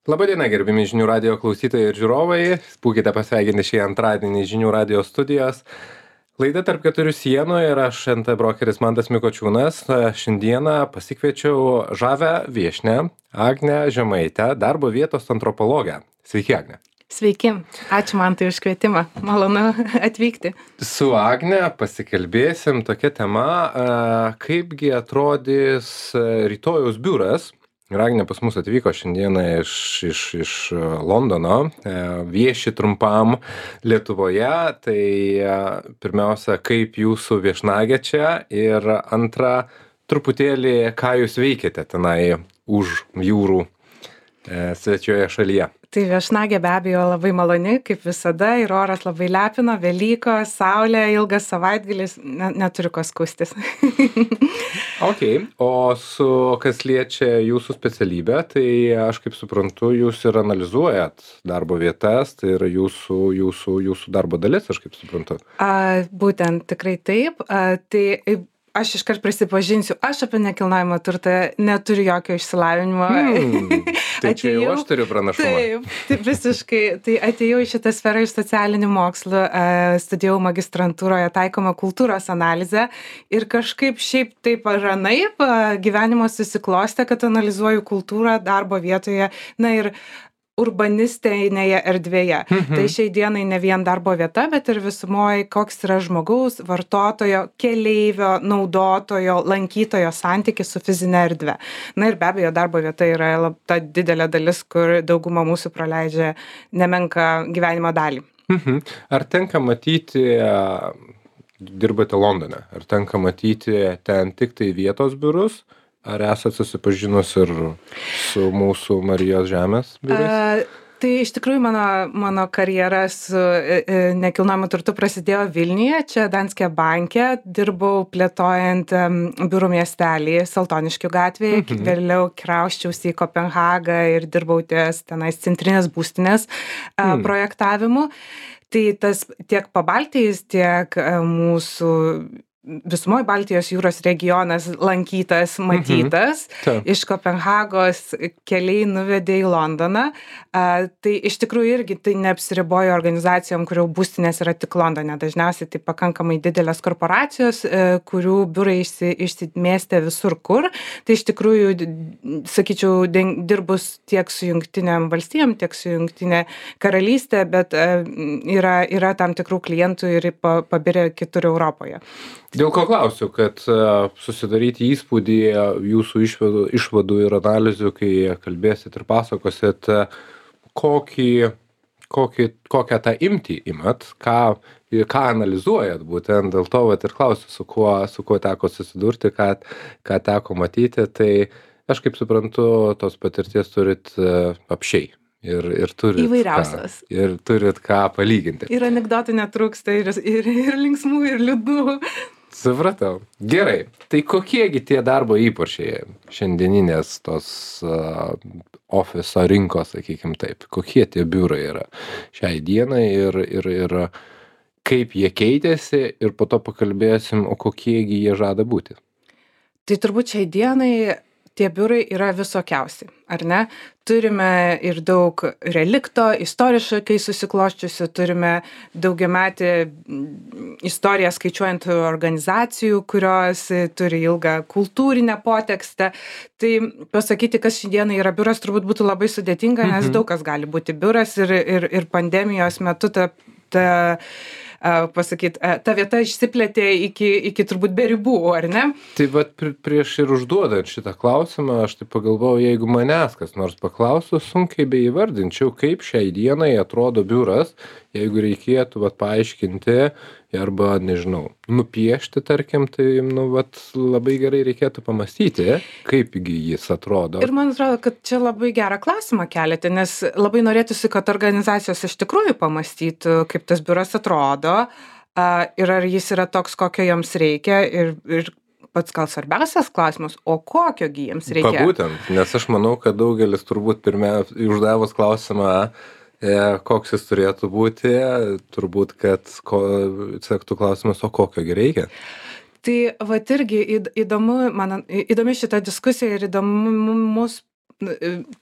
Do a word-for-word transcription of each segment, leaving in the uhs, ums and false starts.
Labadiena, gerbimi žinių radio klausytojai ir žiūrovai. Būkite pasveikinti šį antradienį žinių radio studijos. Laida tarp keturių sienų ir aš nt brokeris Mantas Mikočiūnas. Šiandieną pasikviečiau žavę viešnią Agnę Žemaitę, darbo vietos antropologę. Sveiki, Agne. Sveiki, ačiū Mantai už kvietimą, malonu atvykti. Su Agne pasikalbėsim tokia tema, kaipgi atrodys rytojaus biuras. Ir Agnė pas mus atvyko šiandieną iš, iš, iš Londono, vieši trumpam Lietuvoje. Tai pirmiausia, kaip jūsų viešnagė čia ir antra, truputėlį, ką jūs veikiate tenai už jūrų svečioje šalyje. Tai viešnagė be abejo labai maloni, kaip visada, ir oras labai lepino, Velykos, saulė, ilgas savaitgalis, ne, neturiu ko skustis. Ok, o su kas liečia jūsų specialybę, tai aš kaip suprantu, jūs ir analizuojat darbo vietas, tai yra jūsų, jūsų, jūsų darbo dalis, aš kaip suprantu. A, būtent, tikrai taip. A, tai aš iškart prisipažinsiu, aš apie nekilnojamą turtą neturiu jokio išsilavinimo. Hmm, tai čia jau aš turiu pranašumą. Taip, taip visiškai. Tai atėjau į šitą sferą iš socialinių mokslų, studijavau magistrantūroje taikomą kultūros analizę ir kažkaip šiaip taip ar anaip gyvenimo susiklostė, kad analizuoju kultūrą darbo vietoje, na ir urbanistinėje erdvėje. Mhm. Tai šiai dienai ne vien darbo vieta, bet ir visumoje, koks yra žmogaus, vartotojo, keleivio, naudotojo, lankytojo santykis su fizinė erdvė. Na ir be abejo, darbo vieta yra lab, ta didelė dalis, kur dauguma mūsų praleidžia nemenką gyvenimo dalį. Mhm. Ar tenka matyti, dirbate Londone, ar tenka matyti ten tik tai vietos biurus? Ar esate susipažinus ir su mūsų Marijos žemės biurais? A, tai iš tikrųjų mano, mano karjera su e, nekilnojamu turtu prasidėjo Vilniuje, čia Danske banke, dirbau plėtojant um, biurų miestelį Saltoniškių gatvėje, mhm. Vėliau krauščiausi į Kopenhagą ir dirbau ties tenais centrinės būstinės mhm. uh, projektavimu. Tai tas tiek Pabaltijis, tiek uh, mūsų visumoje Baltijos jūros regionas lankytas, matytas. Mhm. Iš Kopenhagos keliai nuvedė į Londoną. A, tai iš tikrųjų irgi tai neapsiribojo organizacijom, kurių būstinės yra tik Londone. Dažniausiai tai pakankamai didelės korporacijos, e, kurių biurai išsi, išsimėstė visur kur. Tai iš tikrųjų, sakyčiau, dirbus tiek su Jungtinėm valstijom, tiek su Jungtinė karalystė, bet e, yra, yra tam tikrų klientų ir pabirė kitur Europoje. Dėl ko klausiu, kad uh, susidaryti įspūdį jūsų išvadų, išvadų ir analizių, kai kalbėsit ir pasakosit, uh, kokį, kokį, kokią tą imtį imat, ką, ką analizuojat būtent, dėl to vat, ir klausiu, su kuo, su kuo teko susidurti, ką, ką teko matyti, tai aš kaip suprantu, tos patirties turit uh, apšiai. Ir, ir turit įvairiausios. Ką, ir turit ką palyginti. Ir anekdotų netrūksta, ir, ir, ir linksmų, ir liūdnų. Supratau. Gerai. Tai kokiegi tie darbo įpročiai šiandieninės tos uh, ofiso rinkos, sakykim taip, kokie tie biurai yra šiai dienai ir, ir, ir kaip jie keitėsi ir po to pakalbėsim, o kokiegi jie žada būti. Tai turbūt šiai dienai tie biurai yra visokiausi, ar ne? Turime ir daug relikto, istoriškai susikloščiusių, turime daugiametį istoriją skaičiuojant organizacijų, kurios turi ilgą kultūrinę potekstę. Tai pasakyti, kas šiandieną yra biuras, turbūt būtų labai sudėtinga, nes daug kas gali būti biuras ir, ir, ir pandemijos metu ta, ta pasakyt, ta vieta išsiplėtė iki, iki turbūt be ribų, ar ne? Tai vat prieš ir užduodant šitą klausimą, aš tai pagalvojau, jeigu manęs kas nors paklaustų, sunkiai beįvardinčiau, kaip šiai dienai atrodo biuras, jeigu reikėtų vat paaiškinti arba, nežinau, nupiešti, tarkim, tai, nu, vat labai gerai reikėtų pamastyti, kaipgi jis atrodo. Ir man atrodo, kad čia labai gerą klausimą keliate, nes labai norėtųsi, kad organizacijos iš tikrųjų pamastytų, kaip tas biuras atrodo ir ar jis yra toks, kokio joms reikia ir, ir pats gal svarbiausias klausimas, o kokio gi jiems reikia? Būtent, nes aš manau, kad daugelis turbūt pirmia, uždavus klausimą, koks jis turėtų būti, turbūt, kad ko, sektų klausimas, o kokio gi reikia? Tai vat irgi įdomu, man, įdomi šita diskusija ir įdomus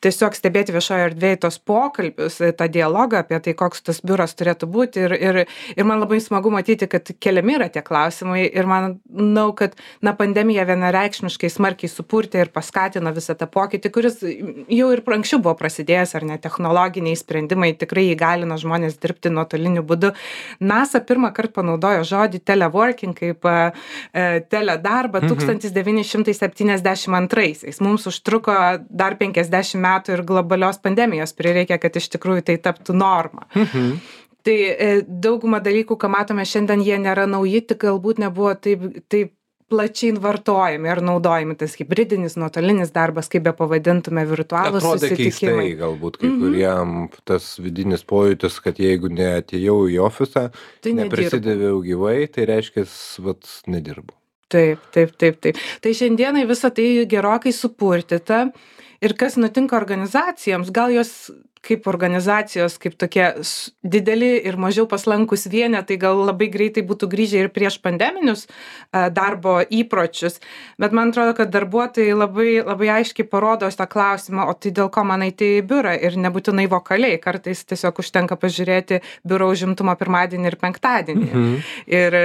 tiesiog stebėti viešoje erdvėje tos pokalbius, tą dialogą apie tai, koks tas biuras turėtų būti. Ir, ir, ir man labai smagu matyti, kad keliami yra tie klausimai. Ir manau, kad na, pandemija vienareikšmiškai smarkiai supurtė ir paskatino visą tą pokytį, kuris jau ir anksčiau buvo prasidėjęs, ar ne, technologiniai sprendimai tikrai įgalino žmonės dirbti nuotoliniu būdu. NASA pirmą kartą panaudojo žodį teleworking kaip e, teledarbą mhm. tūkstantis devyni šimtai septyniasdešimt antraisiais. Mums užtruko dar penkiasdešimt metų ir globalios pandemijos prireikė, kad iš tikrųjų tai taptų norma. Mhm. Tai e, dauguma dalykų, ką matome šiandien, jie nėra nauji, tik galbūt nebuvo taip, taip plačiai vartojami ar naudojami. Tas hybridinis, nuotolinis darbas, kaip be pavadintume, virtualūs susitikimai. Atrodė keistai galbūt kai mm-hmm. kuriem tas vidinis pojūtis, kad jeigu neatėjau į ofisą, tai neprisidėviau gyvai, tai reiškia, vat, nedirbu. Taip, taip, taip, taip. Tai šiandienai visą tai gerokai supurtyta. Ir kas nutinka organizacijoms, gal jos kaip organizacijos, kaip tokie dideli ir mažiau paslankus vienetai, gal labai greitai būtų grįžę ir prieš pandeminius darbo įpročius. Bet man atrodo, kad darbuotojai labai, labai aiškiai parodo tą klausimą, o tai dėl ko man eiti į biurą ir nebūtinai vokaliai. Kartais tiesiog užtenka pažiūrėti biuro užimtumą pirmadienį ir penktadienį. Mhm. Ir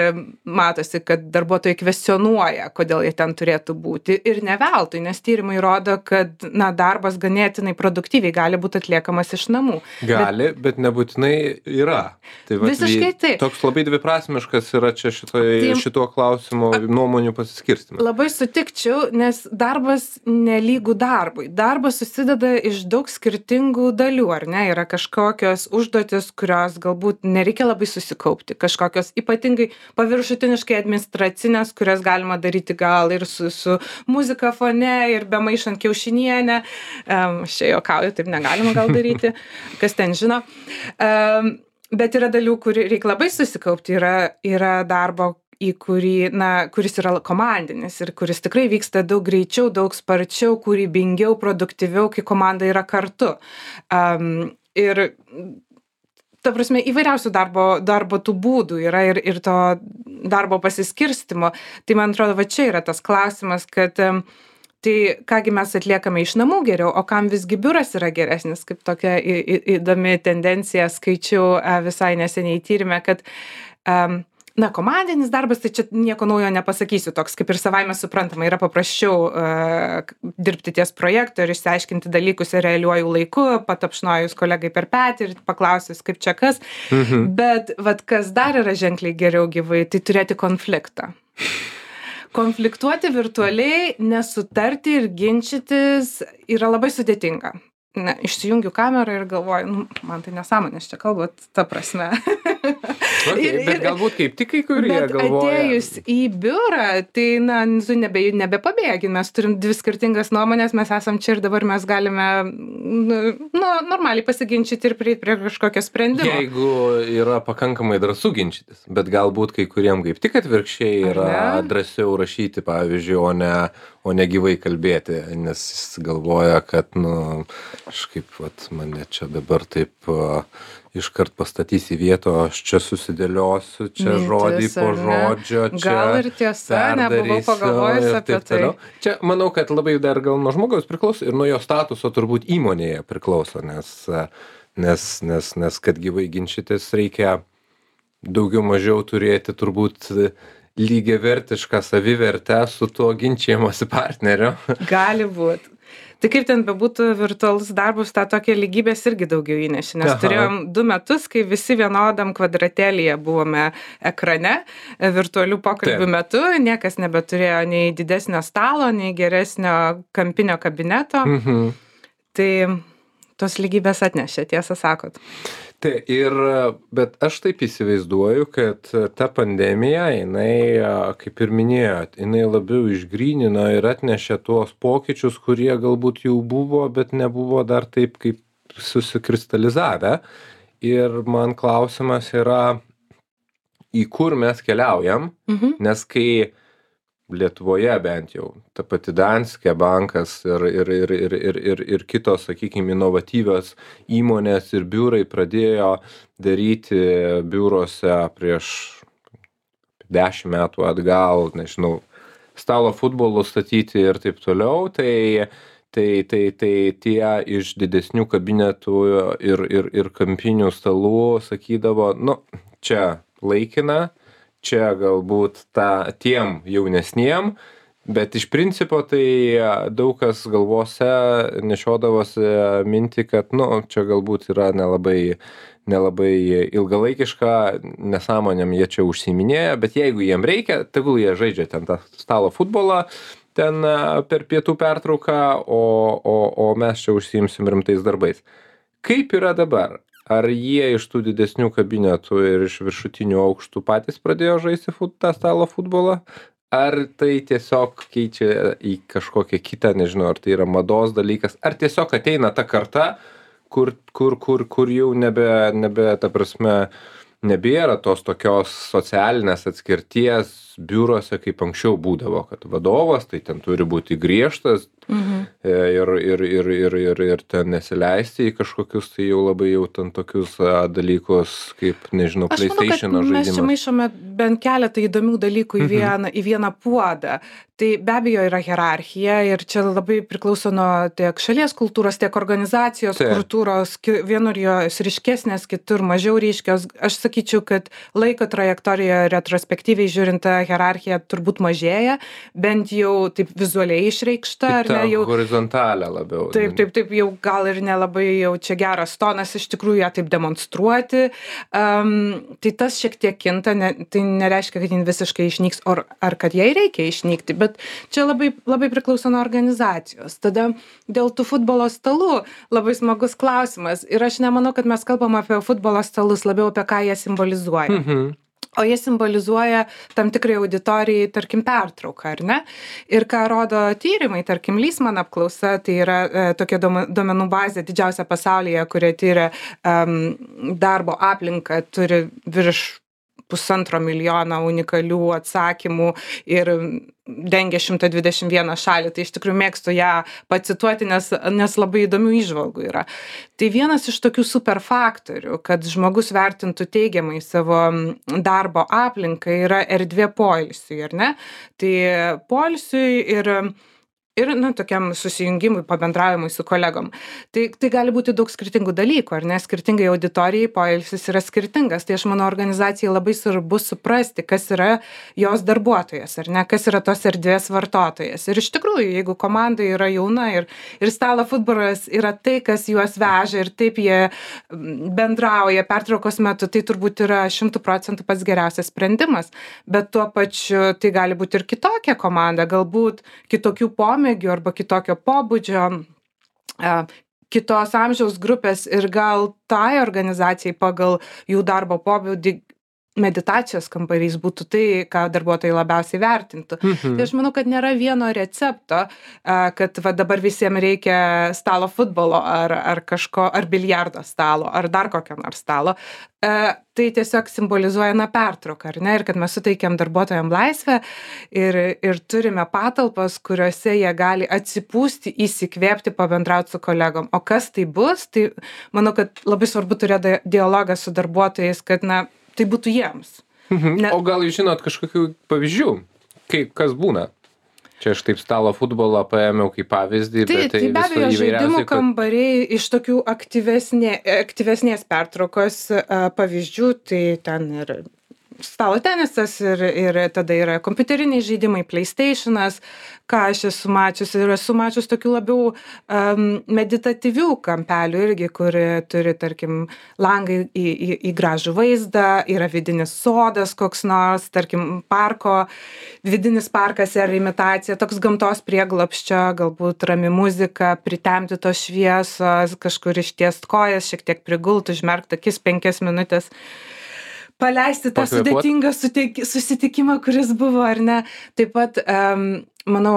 matosi, kad darbuotojai kvestionuoja, kodėl jie ten turėtų būti. Ir ne veltui, nes tyrimai rodo, kad na, darbas ganėtinai produktyviai gali būti atliekamas iš namų. Gali, bet, bet nebūtinai yra. Tai va, visiškai taip. Toks labai dviprasmiškas yra čia šitoj, tai, šituo klausimu nuomonių pasiskirstymas. Labai sutikčiau, nes darbas nelygų darbui. Darbas susideda iš daug skirtingų dalių, ar ne? Yra kažkokios užduotis, kurios galbūt nereikia labai susikaupti. Kažkokios ypatingai paviršutiniškai administracinės, kurias galima daryti gal ir su, su muzika fone, ir bemaišant kiaušinienę. Um, aš čia juokauju, taip negalima gal daryti. Kas ten žino. Um, bet yra dalių, kur reikia labai susikaupti. Yra, yra darbo, į kurį, na, kuris yra komandinis ir kuris tikrai vyksta daug greičiau, daug sparčiau, kūrybingiau, produktyviau, kai komanda yra kartu. Um, ir ta prasme, įvairiausių darbo, darbo tų būdų yra ir, ir to darbo pasiskirstimo. Tai man atrodo, va čia yra tas klausimas, kad um, tai kągi mes atliekame iš namų geriau, o kam visgi biuras yra geresnis, kaip tokia į, į, įdomi tendencija skaičiau visai neseniai tyrime, kad um, na, komandinis darbas, tai čia nieko naujo nepasakysiu, toks kaip ir savaime suprantama, yra paprasčiau uh, dirbti ties projektu ir išsiaiškinti dalykus realiuoju laiku, patapšnojus kolegai per petį ir paklausius, kaip čia kas, mhm. bet vat, kas dar yra ženkliai geriau gyvai, tai turėti konfliktą. Konfliktuoti virtualiai, nesutarti ir ginčytis yra labai sudėtinga. Ne, išsijungiu kamerą ir galvoju, nu, man tai nesąmonės čia kalbat, ta prasme. Okay, ir, bet galbūt kaip tik kai kurie bet galvoja. Atėjus į biurą, tai, na, nebe, nebepabėgi, mes turim dvi skirtingas nuomonės, mes esam čia ir dabar mes galime, nu, normaliai pasiginčyti ir prie, prie kažkokio sprendimo. Jeigu yra pakankamai drąsų ginčytis, bet galbūt kai kuriem kaip tik atvirkščiai yra drąsiau rašyti, pavyzdžiui, o ne, o ne gyvai kalbėti, nes jis galvoja, kad, nu, kažkaip, vat, mane čia dabar taip uh, iškart pastatys į vietą, aš čia susidėliosiu, čia mintis, žodį po žodžio, čia gal ir tiesa, nebuvau pagalvojus apie tai. Čia, manau, kad labai dar gal nuo žmogaus priklauso ir nuo jo statuso turbūt įmonėje priklauso, nes, nes, nes, nes kad gyvai ginčytis reikia daugiau mažiau turėti turbūt lygiavertišką savivertę su tuo ginčijimosi partneriu. Gali būt. Tai kaip ten bebūtų virtualus darbus, tą tokią lygybės irgi daugiau įnešė, nes Aha. turėjom du metus, kai visi vienodam kvadratėlyje buvome ekrane, virtualių pokalbių Taip. metu, niekas nebeturėjo nei didesnio stalo, nei geresnio kampinio kabineto. Mhm. Tai tos lygybės atnešė, tiesą sakot. Tai ir, bet aš taip įsivaizduoju, kad ta pandemija, jinai, kaip ir minėjot, jinai labiau išgrynino ir atnešė tuos pokyčius, kurie galbūt jau buvo, bet nebuvo dar taip kaip susikristalizavę. Ir man klausimas yra, į kur mes keliaujam, mhm. nes kai Lietuvoje bent jau, ta pati Danske bankas ir, ir, ir, ir, ir, ir, ir kitos, sakykime, inovatyvios įmonės ir biurai pradėjo daryti biurose prieš dešimt metų atgal, nežinau, stalo futbolo statyti ir taip toliau, tai Tai, tai, tai tie iš didesnių kabinetų ir, ir, ir kampinių stalų sakydavo, nu, čia laikina, čia galbūt ta, tiem jaunesniem, bet iš principo tai daug kas galvose nešiodavosi mintį, kad, nu, čia galbūt yra nelabai, nelabai ilgalaikiška, nesąmonėm jie čia užsiiminėja, bet jeigu jiem reikia, tegul jie žaidžia ten tą stalo futbolą, ten per pietų pertrauką, o, o, o mes čia užsiimsim rimtais darbais. Kaip yra dabar? Ar jie iš tų didesnių kabinetų ir iš viršutinių aukštų patys pradėjo žaisti fut, tą stalo futbolą? Ar tai tiesiog keičia į kažkokią kitą, nežinau, ar tai yra mados dalykas, ar tiesiog ateina ta karta, kur, kur, kur, kur jau nebe, nebe, ta prasme, nebėra tos tokios socialinės atskirties biuruose, kaip anksčiau būdavo, kad vadovas tai ten turi būti griežtas mhm. ir, ir, ir, ir, ir, ir ten nesileisti į kažkokius tai jau labai jau ten tokius a, dalykus, kaip, nežinau, PlayStation žaidimas. Mes čia maišome bent keletą įdomių dalykų į vieną, mhm. į vieną puodą. Tai be abejo yra hierarchija ir čia labai priklauso nuo tiek šalies kultūros, tiek organizacijos Taip. kultūros, vienur jos ryškesnės, kitur mažiau ryškios. Aš sakyčiau, kad laiko trajektorijoje retrospektyviai žiūrint, ta hierarchija turbūt mažėja, bent jau taip vizualiai išreikšta. Ar ne, jau horizontalę labiau. Taip, taip, taip, jau gal ir nelabai jau čia geras tonas iš tikrųjų ją taip demonstruoti. Um, tai tas šiek tiek kinta, ne, tai nereiškia, kad jin visiškai išnyks, or, ar kad jai reikia išnykti, bet čia labai, labai priklauso nuo organizacijos. Tada dėl tų futbolo stalų labai smagus klausimas. Ir aš nemanau, kad mes kalbam apie futbolo stalus, labiau apie ką jie simbolizuoja. Mhm. O jie simbolizuoja tam tikrai auditorijai, tarkim, pertrauką, ar ne? Ir ką rodo tyrimai, tarkim, Lysman apklausa, tai yra e, tokia duomenų bazė didžiausia pasaulyje, kurie tyria um, darbo aplinką, turi virš pusantro milijono unikalių atsakymų ir dengia šimtą dvidešimt vieną šalį. Tai iš tikrųjų mėgstu ją pacituoti, nes, nes labai įdomių įžvalgų yra. Tai vienas iš tokių super faktorių, kad žmogus vertintų teigiamai savo darbo aplinką, yra erdvė poilsiui, ar ne? Tai poilsiui ir ir, nu, tokiam susijungimui, pabendravimui su kolegom. Tai, tai gali būti daug skirtingų dalykų, ar ne? Skirtingai auditorijai poilsis yra skirtingas. Tai aš manau, organizacijai labai svarbu suprasti, kas yra jos darbuotojas, ar ne? Kas yra tos erdvės vartotojas. Ir iš tikrųjų, jeigu komanda yra jauna ir, ir stalo futbolas yra tai, kas juos veža ir taip jie bendrauja pertraukos metu, tai turbūt yra šimtų procentų pats geriausias sprendimas. Bet tuo pačiu tai gali būti ir kitokia komanda, galbūt kitokių pomėgių arba kitokio pobūdžio, kitos amžiaus grupės ir gal tai organizacijai pagal jų darbo pobūdį meditacijos kambarys būtų tai, ką darbuotojai labiausiai vertintų. Mhm. Tai aš manau, kad nėra vieno recepto, kad va, dabar visiems reikia stalo futbolo ar, ar kažko, ar biljardo stalo, ar dar kokio nors stalo. Tai tiesiog simbolizuoja na pertrauką, ar ne? Ir kad mes suteikiam darbuotojams laisvę ir, ir turime patalpas, kuriuose jie gali atsipūsti, įsikvėpti, pabendrauti su kolegom. O kas tai bus? Tai manau, kad labai svarbu turėti dialogą su darbuotojais, kad na, tai būtų jiems. Mhm. Ne... O gal jūs žinot kažkokių pavyzdžių, kaip kas būna? Čia aš taip stalo futbolą paėmiau kaip pavyzdį, tai, bet tai, tai be abejo žaidimų kad... kambariai iš tokių aktyvesnė, aktyvesnės pertraukos uh, pavyzdžių, tai ten ir stalo tenisas ir, ir tada yra kompiuteriniai žaidimai, PlayStationas, ką aš esu mačius ir esu mačius tokių labiau um, meditatyvių kampelių irgi, kur turi, tarkim, langai į, į, į gražų vaizdą, yra vidinis sodas koks nors, tarkim, parko, vidinis parkas ar imitacija, toks gamtos prieglobsčio, galbūt rami muzika, pritemti tos šviesos, kažkur ištiest kojas, šiek tiek prigult, užmerkt akis penkias minutės. Paleisti tą sudėtingą susitikimą, kuris buvo, ar ne. Taip pat, um, manau,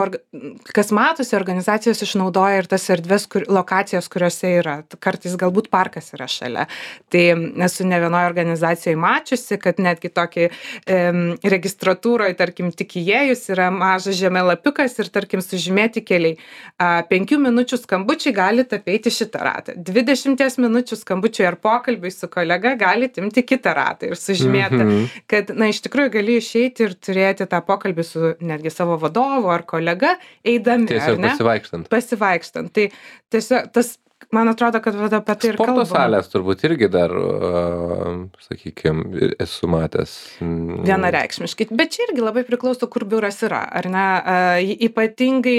kas matosi, organizacijos išnaudoja ir tas erdvės, kur, lokacijas, kuriuose yra. Kartais galbūt parkas yra šalia. Tai esu ne vienoje organizacijoje mačiusi, kad netgi tokį um, registratūroje, tarkim, tik įėjus yra mažas žemėlapiukas ir, tarkim, sužymėti keliai. Uh, penkių minučių skambučiai galite apeiti šitą ratą. Dvidešimties minučių skambučiai ar pokalbiai su kolega galite imti kitą ratą ir sužymėti, mm-hmm. kad, na, iš tikrųjų gali išeiti ir turėti tą pokalbį su netgi savo vadovu ar kolega eidami, Tiesiog ar ne? pasivaikštant. Pasivaikštant. Tai tiesiog tas, man atrodo, kad vat apie tai ir kalbam. Sporto salės turbūt irgi dar, sakykime, esu matęs. Vienareikšmiškai. Bet čia irgi labai priklauso, kur biuras yra, ar ne? Ypatingai,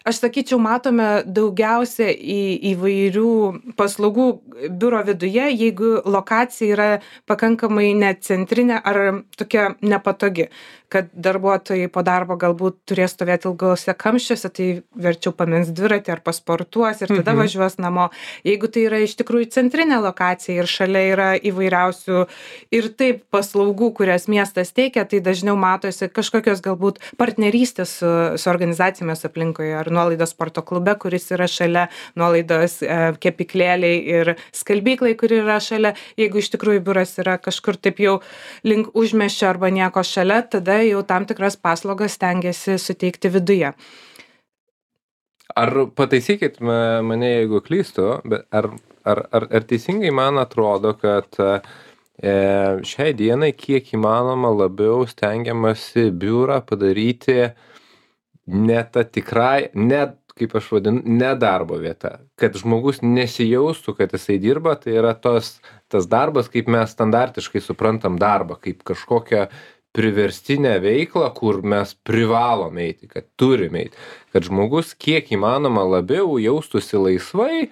aš sakyčiau, matome daugiausia į įvairių paslaugų biuro viduje, jeigu lokacija yra pakankamai necentrinė ar tokia nepatogi, kad darbuotojai po darbo galbūt turės stovėti ilgose kamščiuose, tai verčiau pamins dviratį ar pasportuos ir tada mhm. važiuos namo. Jeigu tai yra iš tikrųjų centrinė lokacija ir šalia yra įvairiausių ir taip paslaugų, kurias miestas teikia, tai dažniau matosi kažkokios galbūt partnerystės su, su organizacijomis aplinkoje ar nuolaidos sporto klube, kuris yra šalia, nuolaidos e, kepiklėliai ir skalbyklai, kuri yra šalia. Jeigu iš tikrųjų biuras yra kažkur taip jau link užmiesčio arba nieko šalia, tada jau tam tikras paslaugas stengiasi suteikti viduje. Ar pataisykit mane, jeigu klystu, bet ar, ar, ar, ar teisingai man atrodo, kad e, šiai dienai kiek įmanoma labiau stengiamasi biurą padaryti ne ta tikrai, ne, kaip aš vadinu, ne darbo vieta. Kad žmogus nesijaustų, kad jisai dirba, tai yra tos, tas darbas, kaip mes standartiškai suprantam darbą, kaip kažkokią priverstinę veiklą, kur mes privalome eiti, kad turime eiti. Kad žmogus kiek įmanoma labiau jaustųsi laisvai,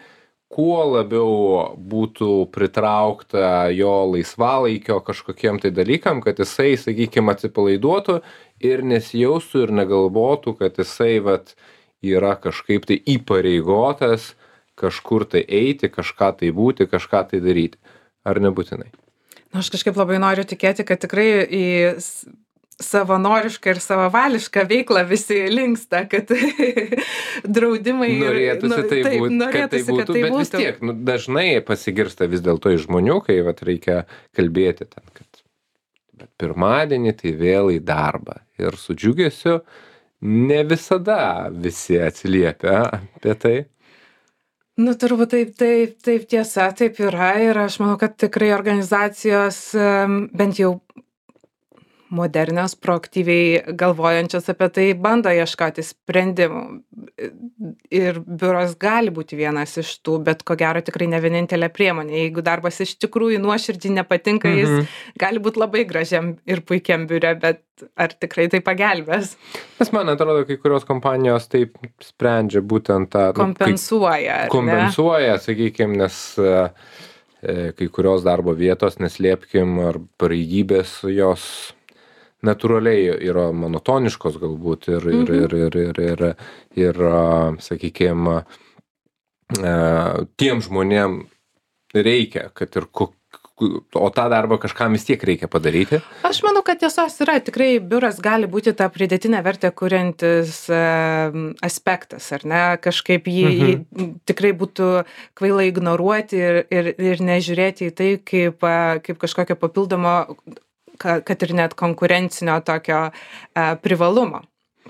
kuo labiau būtų pritraukta jo laisvalaikio kažkokiem tai dalykam, kad jisai, sakykime, atsipalaiduotų ir nesijaustų ir negalvotų, kad jisai vat, yra kažkaip tai įpareigotas kažkur tai eiti, kažką tai būti, kažką tai daryti. Ar nebūtinai? Na, aš kažkaip labai noriu tikėti, kad tikrai į savanorišką ir savavališką veiklą visi linksta, kad draudimai... Norėtųsi nu, tai taip, būtų, norėtųsi, kad tai būtų, kad tai bet būtų. vis tiek, nu, dažnai pasigirsta vis dėlto iš žmonių, kai vat, reikia kalbėti ten, kad bet pirmadienį tai vėl į darbą. Ir su džiugesiu ne visada visi atsiliepia apie tai. Nu, turbūt taip, taip, taip tiesa, taip yra ir aš manau, kad tikrai organizacijos bent jau modernios, proaktyviai galvojančios apie tai bando ieškoti sprendimų. Ir biuras gali būti vienas iš tų, bet ko gero tikrai ne vienintelė priemonė. Jeigu darbas iš tikrųjų nuoširdžiai nepatinka, mhm. jis gali būti labai gražiam ir puikiam biure, bet ar tikrai tai pagelbės? Nes man atrodo, kai kurios kompanijos taip sprendžia būtent tą... Kompensuoja. Nu, kompensuoja, sakykime, nes e, kai kurios darbo vietos, neslėpkim, ar pareigybės jos natūraliai yra monotoniškos galbūt ir, ir, Mhm. ir, ir, ir, ir, ir, sakykime, tiem žmonėm reikia, kad ir ko, o tą darbą kažkam vis tiek reikia padaryti. Aš manau, kad tiesos yra. Tikrai biuras gali būti tą pridėtinę vertę kuriantis aspektas, ar ne? Kažkaip jį, mhm. jį tikrai būtų kvailai ignoruoti ir, ir, ir nežiūrėti į tai kaip, kaip kažkokio papildomo, kad ir net konkurencinio tokio privalumo.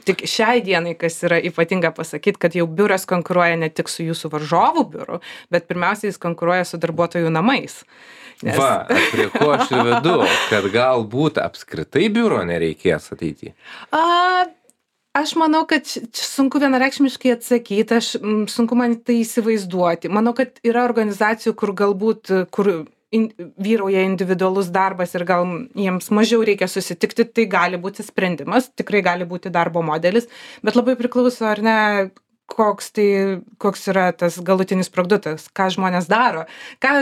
Tik šiai dienai, kas yra ypatinga pasakyti, kad jau biuras konkuruoja ne tik su jūsų varžovų biuru, bet pirmiausia, jis konkuruoja su darbuotojų namais. Nes... Va, prie ko aš ir vedu, kad galbūt apskritai biuro nereikės ateityje. A, aš manau, kad sunku vienareikšmiškai atsakyti, aš sunku man tai įsivaizduoti. Manau, kad yra organizacijų, kur galbūt, kur in, vyrauja individualus darbas ir gal jiems mažiau reikia susitikti, tai gali būti sprendimas, tikrai gali būti darbo modelis, bet labai priklauso, ar ne, koks, tai, koks yra tas galutinis produktas, ką žmonės daro, ką,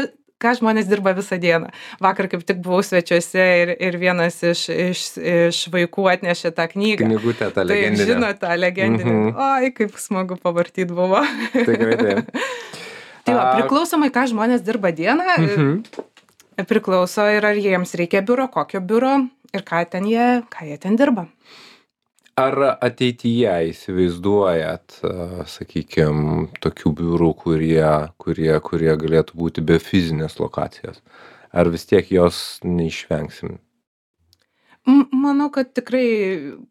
ką žmonės dirba visą dieną. Vakar kaip tik buvau svečiuose ir, ir vienas iš, iš, iš vaikų atnešė tą knygą. Knygutę tą legendinę. Taip, žino tą legendinę. Mhm. Oi, kaip smagu pavartyti buvo. Tikrai taip. Tai va, priklausomai, ką žmonės dirba dieną, mhm. priklauso ir ar jiems reikia biuro, kokio biuro ir ką, ten jie, ką jie ten dirba. Ar ateityje įsivaizduojat, sakykime, tokių biurų, kurie, kurie, kurie galėtų būti be fizinės lokacijos? Ar vis tiek jos neišvengsim? M manau, kad tikrai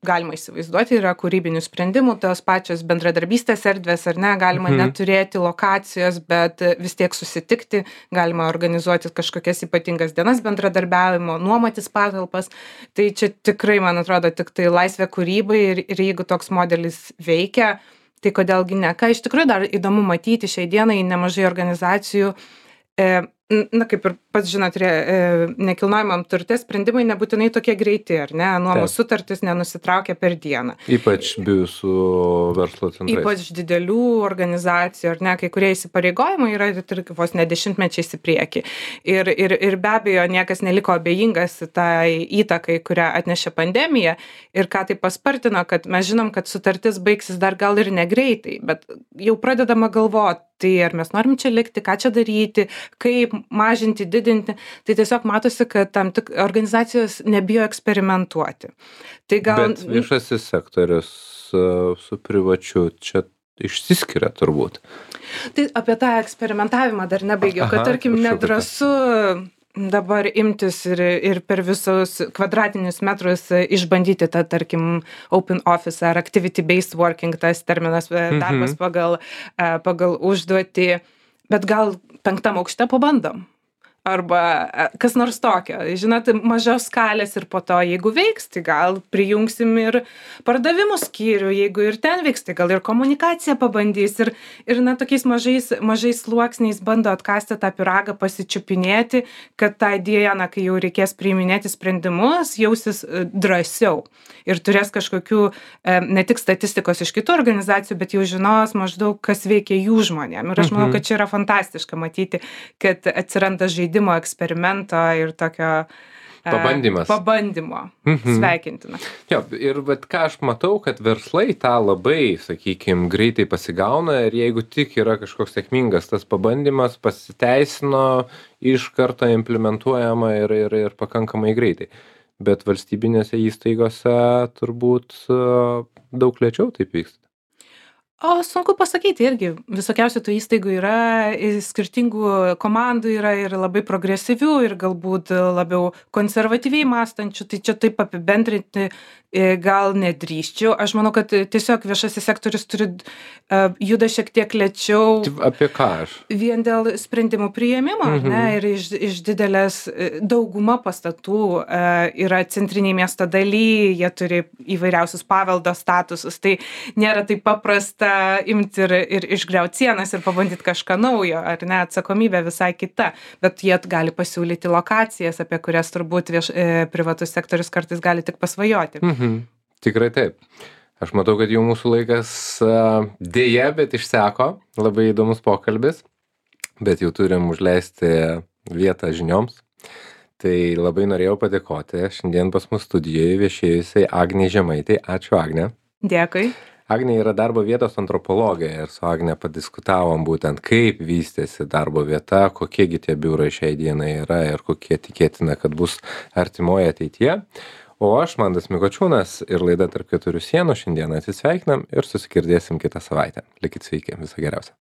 galima įsivaizduoti, yra kūrybinių sprendimų, tos pačios bendradarbystės erdvės, ar ne, galima Mhm. neturėti lokacijos, bet vis tiek susitikti, galima organizuoti kažkokias ypatingas dienas bendradarbiavimo, nuomotis patalpas. Tai čia tikrai, man atrodo, tik tai laisvė kūrybai ir, ir jeigu toks modelis veikia, tai kodėlgi ne. Ką iš tikrųjų dar įdomu matyti šiai dienai nemažai organizacijų, e, na, kaip ir pats žinot, re, e, nekilnojamam turte sprendimai nebūtinai tokie greiti, ar ne? Nuomos sutartis nenusitraukia per dieną. Ypač biu su verslo centrais. Ypač didelių organizacijų, ar ne, kai kurie įsipareigojimai yra ir vos ne dešimtmečiais į priekį. Ir, ir, ir be abejo, niekas neliko abejingas tai įtakai, kurią atnešė pandemija ir ką tai paspartino, kad mes žinom, kad sutartis baigsis dar gal ir negreitai, bet jau pradedama galvoti, tai ar mes norim čia likti, ką čia daryti, kaip mažinti, didinti, tai tiesiog matosi, kad tam tik organizacijos nebijo eksperimentuoti. Tai gal... Bet viešasis sektorius uh, su privačiu čia išsiskiria turbūt. Tai apie tą eksperimentavimą dar nebaigiau, kad Aha, tarkim prašau, nedrąsu dabar imtis ir, ir per visus kvadratinius metrus išbandyti tą, tarkim, open office ar activity-based working, tas terminas, darbas pagal, pagal užduotį, bet gal penktam aukšte pabandom. Arba kas nors tokio. Žinot, mažios skalės ir po to, jeigu veiks, tai gal prijungsim ir pardavimų skyrių, jeigu ir ten veiks, tai gal ir komunikaciją pabandys. Ir, ir na, tokiais mažais, mažais sluoksniais bando atkasti tą pyragą, pasičiupinėti, kad tą dieną, kai jau reikės priiminėti sprendimus, jausis drąsiau. Ir turės kažkokių ne tik statistikos iš kitų organizacijų, bet jau žinos maždaug, kas veikia jų žmonėm. Ir aš manau, kad čia yra fantastiška matyti, kad atsiranda žaidimo, eksperimento ir tokio Pabandymas. Pabandymo. Mhm. Sveikintina. Jo, ir bet ką aš matau, kad verslai tą labai, sakykime, greitai pasigauna ir jeigu tik yra kažkoks sėkmingas tas pabandymas, pasiteisino, iš karto implementuojama ir, ir, ir pakankamai greitai. Bet valstybinėse įstaigose turbūt daug lėčiau taip vyksta. O sunku pasakyti irgi, visokiausių tų įstaigų yra, skirtingų komandų yra ir labai progresyvių ir galbūt labiau konservatyviai mąstančių, tai čia taip apibendrinti gal nedrįsčiau. Aš manau, kad tiesiog viešasis sektorius turi juda šiek tiek lėčiau. Apie ką aš? Vien dėl sprendimų priėmimo, mhm. ne, ir iš, iš didelės dauguma pastatų yra centriniai miesto daly, jie turi įvairiausius paveldo statusus, tai nėra taip paprasta imti ir, ir išgriauti sienas ir pabandyti kažką naujo, ar ne, atsakomybė visai kita, bet jie gali pasiūlyti lokacijas, apie kurias turbūt vieš, e, privatus sektorius kartais gali tik pasvajoti. Mhm. Tikrai taip. Aš matau, kad jau mūsų laikas uh, dėja, bet išseko, labai įdomus pokalbis, bet jau turim užleisti vietą žinioms. Tai labai norėjau padėkoti šiandien pas mus studijoje viešėjusiai Agnei Žemaitei. Ačiū, Agne. Dėkui. Agnė yra darbo vietos antropologė ir su Agne padiskutavom būtent, kaip vystėsi darbo vieta, kokiegi tie biurai šiai dienai yra ir kokie tikėtina, kad bus artimoje ateityje. O aš, Mantas Mikočiūnas ir laida Tarp keturių sienų šiandien atsisveikinam ir susigirdėsim kitą savaitę. Likit sveiki, viso geriausio.